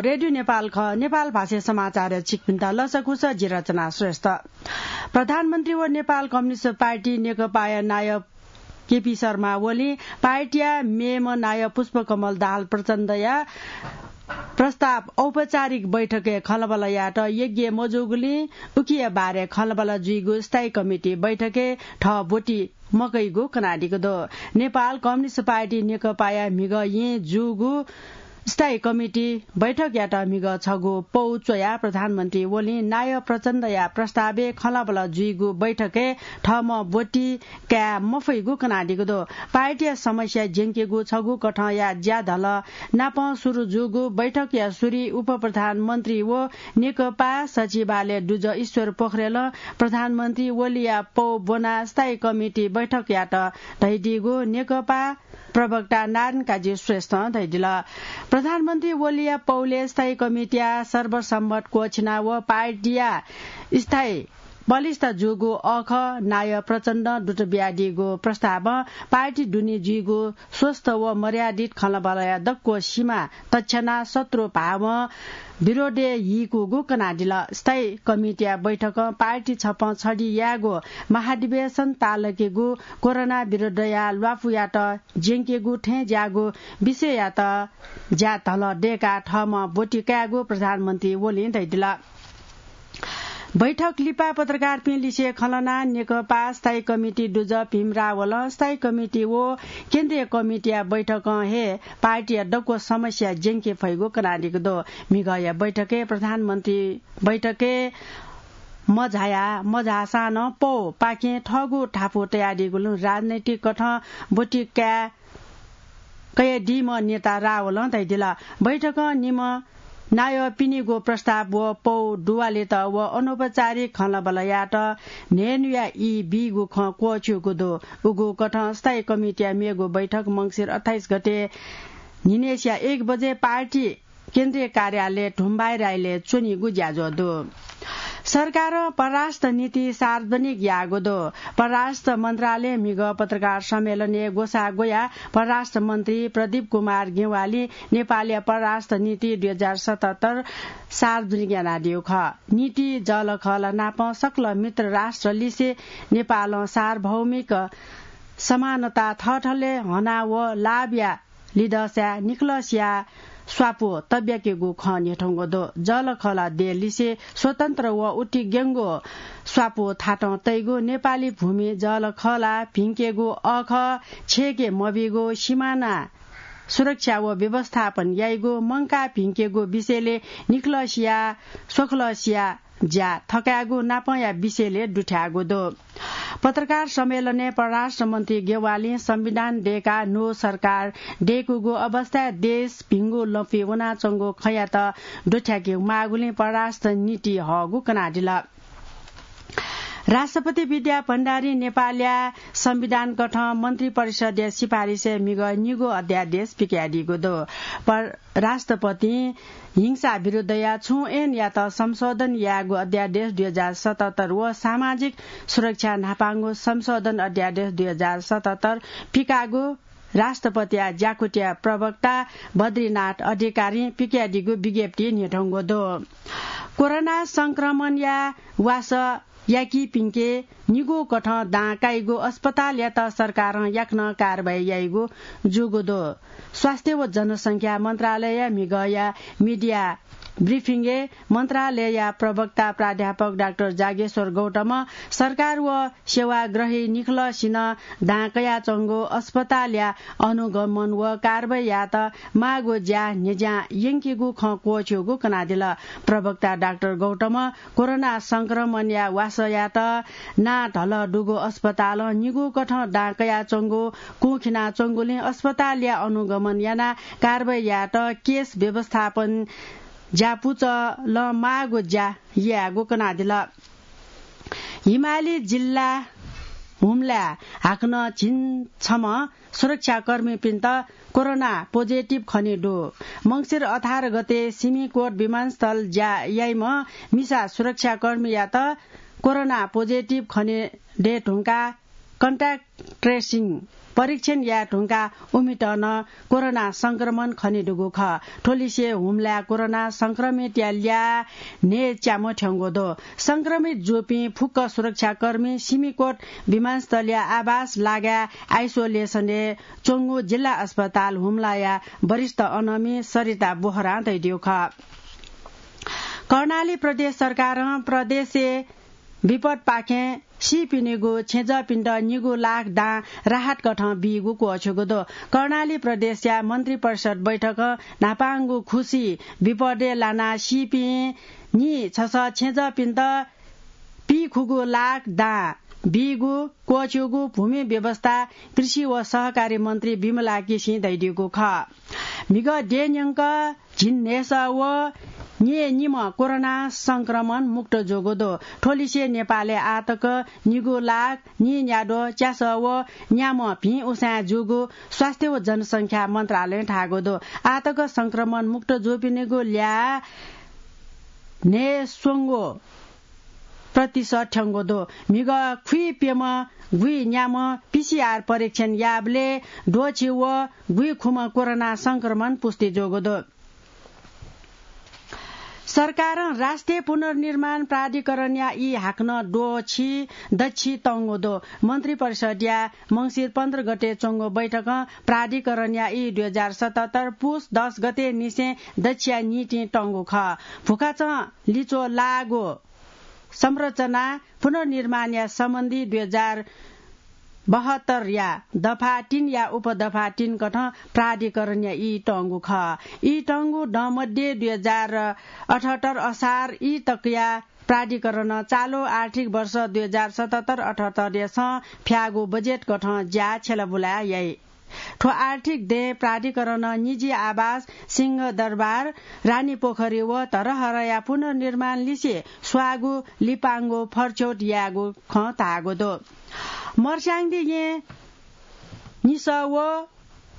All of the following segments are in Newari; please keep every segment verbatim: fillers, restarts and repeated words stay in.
रेडियो नेपाल खः, नेपाल भाषा समाचार छिकपिन्त लसकुस, जि रचना श्रेष्ठ। प्रधानमन्त्री व नेपाल कम्युनिस्ट पार्टी नेकपाया नायब केपी शर्मा ओलीं पार्टीया मेम्ह नायब पुष्पकमल दाहाल प्रचण्डया प्रस्ताव औपचारिक बैठकय् खँल्हाबल्हा यायेत योग्य मजूगुलिं उकिया बारे खँल्हाबल्हा जुइगु स्थायी कमिटी बैठकय् थः ब्वति मकइगु कनादीगु दु। नेपाल कम्युनिस्ट पार्टी नेकपाया म्हिगः येँ जूगु स्थायी कमिटी बैठकयात म्हिगः छगू पौ च्वयाः प्रधानमन्त्री ओलीं नायब प्रचण्डया प्रस्तावय् खँल्हाबल्हा जुइगु बैठकय् थःम्हं ब्वति काये मफइगु कनादीगु दु। पार्टीया समस्या ज्यंकेगु छगू कथंया ज्याधलः नापं सुरु जूगु बैठकया सुरुइ उपप्रधानमन्त्री व नेकपा सचिवालय दुजः ईश्वर पोखरेलं प्रधानमन्त्री ओलीया पौ ब्वनाः स्थायी कमिटी बैठकयात धयादीगु नेकपा प्रवक्ता नारायण काजी श्रेष्ठं धयादिल। प्रधानमन्त्री ओलीया पौले स्थायी कमिटीया सर्वसम्मत क्वःछिना व पार्टीया स्थायी बलिष्ठ जूगु अःखः नायब प्रचण्डं दुत बियादीगु प्रस्तावं पार्टी दुने जुइगु स्वस्थ व मर्यादित खँल्हाबल्हाया दक्व सीमा तछ्यानाः शत्रु भावं विरोधय् हीकूगु कनादिल। स्थायी कमिटीया बैठकं पार्टी छपं छधि यायेगु महाधिवेशन तालकेगु कोरोना विरुद्धया ल्वापुयात ज्यंकेगु थें ज्याःगु विषययात ज्याधलः दय्काः थःम्हं ब्वति कायेगु प्रधानमन्त्री ओलीं धयादिल। बैठक लिपा पत्रकारपिं लिसे खँ ल्हानाः नेकपा स्थायी कमिटी दुजः भीम रावलं स्थायी कमिटी व केन्द्रीय कमिटीया बैठकं हे पार्टीया दक्व समस्या ज्यंके फइगु कनादीगु दु। म्हिगःया बैठकय् प्रधानमन्त्री बैठकय् मझाया, मझाःसां नं पौपाखें थःगु धापू तयादीगुलिं राजनैतिक कथं ब्वति काये कयादीम्ह नेता रावलं धयादिल। बैठकं निम्ह नायःपिनिगु प्रस्ताव व पौ दुवालेत व अनौपचारिक खँल्हाबल्हायात न्हय्न्हुया ई बीगु खँ क्वःछिउगु दु। उगु कथं स्थायी कमिटीया मेगु बैठक मंसिर अट्ठाइस गते न्हिनय्सिया एक बजे पार्टी केन्द्रीय कार्यालय धुम्बाइराइलय् च्वनीगु ज्याझ्वः दु। सरकारं परराष्ट्र नीति सार्वजनिक याःगु दु। परराष्ट्र मन्त्रालयं म्हिगः पत्रकार सम्मेलनय् ग्वसाः ग्वयाः परराष्ट्र मन्त्री प्रदीप कुमार गेवालीं नेपालया परराष्ट्र नीति दुई हजार सतहत्तर सार्वजनिक यानादीगु खः। नीति जःलाखःला नापं सकल मित्र राष्ट्र लिसे नेपालं सार्वभौमिक समानता थःथले हना व लाभया लिधःसाय् निखलसिया स्वापू तब्याकेगु खँ न्ह्यथंगु दु। जःलाखःला देय् लिसे स्वतन्त्र व उतिग्यंगु स्वापू थातं तइगु, नेपाली भूमि जःलाखःला भिंकेगु, अःखः छेके मबीगु, सिमाना सुरक्षा व व्यवस्थापन याइगु, मंकाः भिंकेगु विषयले निखलसिया स्वखलसिया ज्या थकायेगु नापंया विषयले दुथ्याःगु दु। पत्रकार सम्मेलनय् परराष्ट्र मन्त्री गेवालीं संविधान दय्काः न्हू सरकार दय्कूगु अवस्थाय् देश भिंगु लँपुइ वनाच्वंगु खँयात दुथ्याके माःगुलिं परराष्ट्र नीति हःगु कनादिल। राष्ट्रपति विद्या भण्डारीं नेपालया संविधान कथं मन्त्री परिषदया सिफारिसय् म्हिगः निगू अध्यादेश पिकयादीगु दु। पर-, राष्ट्रपतिं हिंसा विरुद्धया छुं ऐनयात संशोधन यायेगु अध्यादेश दुई हजार सतहत्तर व सामाजिक सुरक्षा न्हापांगु संशोधन अध्यादेश दुई हजार सतहत्तर पिकाःगु राष्ट्रपतिया ज्याकुथिया प्रवक्ता बद्रीनाथ अधिकारीं पिकयादीगु विज्ञप्तिइ न्ह्यथंगु दु। कोरोना संक्रमणया वासः याकीपिंके निगू कथं दां काइगु अस्पतालयात सरकारं याकनं कारवाही याइगु जूगु दु। स्वास्थ्य व जनसंख्या मन्त्रालयया म्हिगःया मिडिया ब्रिफिङय् मन्त्रालयया प्रवक्ता प्राध्यापक डाक्टर जागेश्वर गौतमं सरकार व सेवाग्रही निखलसिनं दां कयाच्वंगु अस्पतालया अनुगमन व कारवाहीयात माःगु ज्या न्ह्यज्यां यंकीगु खँ क्वःछिउगु कनादिल। प्रवक्ता डाक्टर गौतमं कोरोना संक्रमणया वासःयात नां धलः दुगु अस्पतालं निगू कथं दां कयाच्वंगु कुंखिनाच्वंगुलिं अस्पतालया अनुगमन यानाः कारवाही यायेत केस व्यवस्थापन ज्यापुचलं माःगु ज्या यायेगु कनादिल। हिमाली जिल्ला हुम्लाय् हाकनं झिंछम्ह सुरक्षाकर्मीपिन्त कोरोना पोजिटिभ खने दु। मंसिर अठार गते सिमिकोट विमानस्थल ज्या याइम्ह मिसा सुरक्षाकर्मीयात कोरोना पोजिटिभ खने दये धुंकाः contact tracing परीक्षण याये धुंकाः उमित नं कोरोना संक्रमण खनेदुगु खः। थ्व लिसे हुम्लाय् कोरोना संक्रमितया ल्याः न्हय्च्याम्ह थ्यंगु दु। संक्रमित जूपिं फुक्क सुरक्षाकर्मी सिमिकोट विमानस्थलीय आवास लागाय् आइसोलेसनय् च्वंगु जिल्ला अस्पताल हुम्लाया वरिष्ठ अनमी सरिता बोहरां धयादीगु खः। कर्णाली प्रदेश सरकारं प्रदेशय् विपदपाखें सीपिनिगु छेँजःपिन्त निगू लाख दां राहत कथं बीगु क्वःछ्यूगु दु। कर्णाली प्रदेशया मन्त्रिपरिषद बैठकं न्हापांगु खुसी विपदय् लानाः सीपिं नीछसः छेँजःपिन्त पीखुगू लाख दां बीगु क्वःछ्यूगु भूमि व्यवस्था, कृषि व सहकारी मन्त्री विमला केसीं धयादीगु खः। म्हिगः देय् न्यंक झिंन्हय्सः व न्यय्निम्ह कोरोना संक्रमण मुक्त जूगु दु। थ्व लिसे नेपालय् आःतक निगू लाख नीन्याद्वः च्यासः व न्याम्ह भिं उसाँय् जूगु स्वास्थ्य व जनसंख्या मन्त्रालयं धाःगु दु। आःतक संक्रमण मुक्त जूपिनिगु ल्याः न्हय्स्वंगू प्रतिशत थ्यंगु दु। म्हिगः खुइप्यम्ह गुइन्याम्ह पीसीआर परीक्षण याःबलय् द्वःछि व गुइखुम्ह कोरोना संक्रमण पुष्टि जूगु दु। सरकारं राष्ट्रिय पुनर्निर्माण प्राधिकरणया ई हाकनं द्वःछि दच्छि तंगु दु। मन्त्रिपरिषदया मंसिर पन्ध्र गते च्वंगु बैठकं प्राधिकरणया ई दुई हजार सतहत्तर पुस दस गते निसें दच्छिया निंतिं तंगु खः। भुखाचं लिच्वः लाःगु संरचना पुनर्निर्माणया सम्बन्धी दुई हजार बहत्तरया दफा तीनया उपदफा तीन कथं प्राधिकरणया ई तंगु खः। ई तंगु दँ मध्ये दुई हजार अठहत्तर असार ई तकया प्राधिकरणं चालु आर्थिक वर्ष दुई हजार सतहत्तर अठहत्तरय् सं फ्याःगु बजेट कथं ज्या छ्यलाबुला याइ। थ्व आर्थिक दँय् प्राधिकरणं निजी आवास, सिंहदरबार, रानीपोखरी व धरहराया पुनर्निर्माण लिसे स्वाःगु लिपांगु फरछ्यौत यायेगु खँ धाःगु दु। मर्स्याङदी येँ निसः व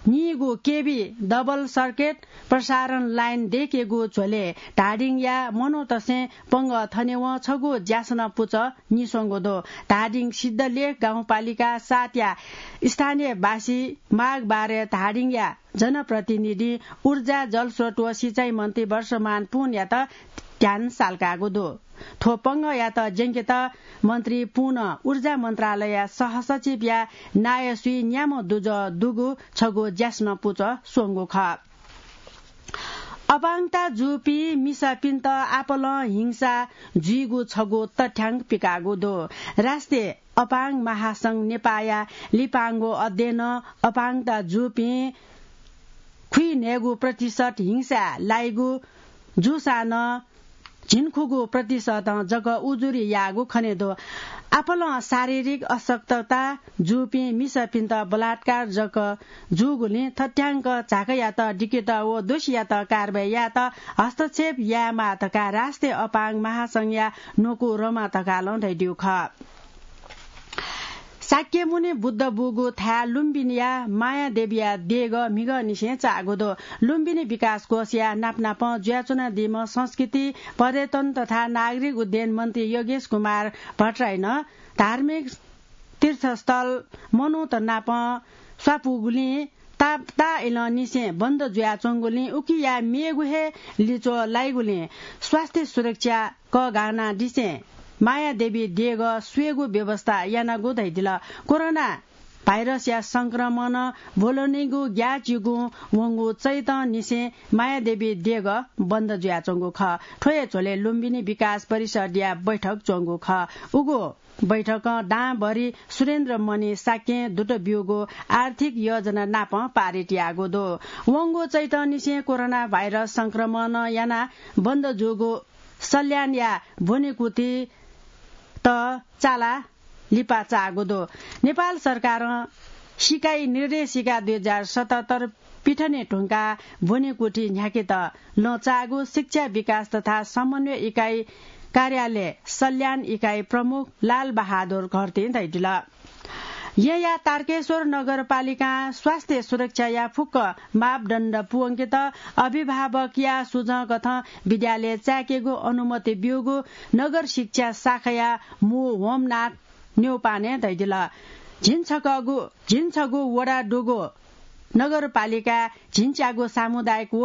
नीगु केबी डबल सर्किट प्रसारण लाइन दय्केगु झ्वलय् धादिङया मनूतय्सं पंगः थनेवं छगू ज्यासना पुचः निस्वंगु दु। धादिङ सिद्धलेख गाउँपालिका सातया स्थानीयवासीं माग बारय् धादिङया जनप्रतिनिधिं ऊर्जा, जलस्रोत व सिँचाइ मन्त्री वर्षमान पुनयात ध्यान सालकाःगु दु। थ्व पंगःयात ज्यंकेत मन्त्री पुनं ऊर्जा मन्त्रालयया सहसचिवया नायःसुइ न्याम्ह दुजः दुगु छगू ज्यासना पुचः स्वंगु खः। अपाङ्गता जूपिं मिसापिन्त आपालं हिंसा जुइगु छगू तथ्याङ्क पिकाःगु दु। राष्ट्रिय अपाङ्ग महासंघ नेपाःया लिपांगु अध्ययनं अपाङ्गता जूपिं खुइन्हय्गू प्रतिशत हिंसाय् लाइगु जूसां नं झिंखुगू प्रतिशतं जक उजुरी याःगु खने दु। आपालं शारीरिक अशक्तता जूपिं मिसापिन्त बलात्कार जक जूगुलिं थथ्याङ्क झाकःयात दिकेत व दोषीयात कारवाही यायेत हस्तक्षेप यायेमाः धकाः राष्ट्रिय अपाङ्ग महासंघया न्वकू रमा धकालं धयादीगु खः। शाक्यमुनि बुद्ध बूगु थाय् लुम्बिनीया मायादेवीया देगः म्हिगःनिसें चाःगु दु। लुम्बिनी विकास कोषया नापनापं जुयाच्वनादीम्ह संस्कृति, पर्यटन तथा नागरिक उड्डयन मन्त्री योगेश कुमार भट्टराईनं धार्मिक तीर्थस्थल मनूत नाप स्वापूगुलिं ता-, ताःइलंनिसें बन्द जुयाच्वंगुलिं उकिया मेगु हे लिच्वः लाइगुलिं स्वास्थ्य सुरक्षा कःघानादिसें मायादेवी देगः स्वयेगु व्यवस्था यानागु धयादिल। कोरोना भाइरसया संक्रमण ब्वलनीगु ग्याःचिगुं वंगु चैतंनिसें मायादेवी देगः बन्द जुयाच्वंगु खः। थ्व हे झ्वलय् लुम्बिनी विकास परिषदया बैठक च्वंगु खः। उगु बैठकं दांभरि सुरेन्द्रमणि शाक्यं दुत ब्यूगु आर्थिक योजना नाप पारित याःगु दु। वंगु चैतंनिसें कोरोना भाइरस संक्रमण यानाः बन्द जूगु सल्यानया ब्वनेकुथित चाला लिपा चाःगु दु। नेपाल सरकारं सिकाइ निर्देशिका दुई हजार सतहत्तर पिथने धुंकाः ब्वनेकुथि न्ह्याकेत लँ चाःगु शिक्षा विकास तथा समन्वय इकाइ कार्यालय सल्यान इकाइ प्रमुख लाल बहादुर घरतीं धयादिल। येँया तारकेश्वर नगरपालिकां स्वास्थ्य सुरक्षाया फुक्क मापदण्ड पूवंकेत अभिभावकया सुझं कथं विद्यालय चाय्केगु अनुमति ब्यूगु नगर शिक्षा शाखाया मू होमनाथ न्यौपाने धयादिल। झिंछगू झिंछगू वडा दुगु नगरपालिका झिंच्यागु सामुदायिक व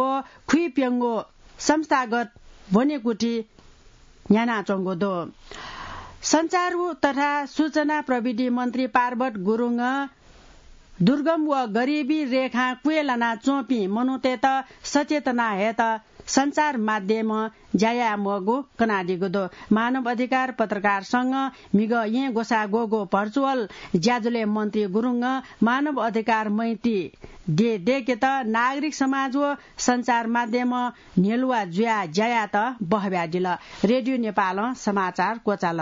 खुइप्यंगु संस्थागत ब्वनेकुथि न्ह्यानाच्वंगु दु। सञ्चार तथा सूचना प्रविधि मन्त्री पार्वत गुरुङं दुर्गम व गरिबी रेखां क्वय् लानाच्वंपिं मनूतय्त सचेतना हयेत सञ्चार माध्यमं ज्या याये मवःगु कनादीगु दु। मानव अधिकार पत्रकार संघं म्हिगः येँ ग्वसाः ग्वःगु भर्चुअल ज्याझ्वलय् मन्त्री गुरुङं मानव अधिकार मैत्री देय् दय्केत नागरिक समाज व सञ्चार माध्यमं न्ह्यलुवा जुयाः ज्या यायेत बहब्यादिल। रेडियो नेपालं समाचार क्वचाल।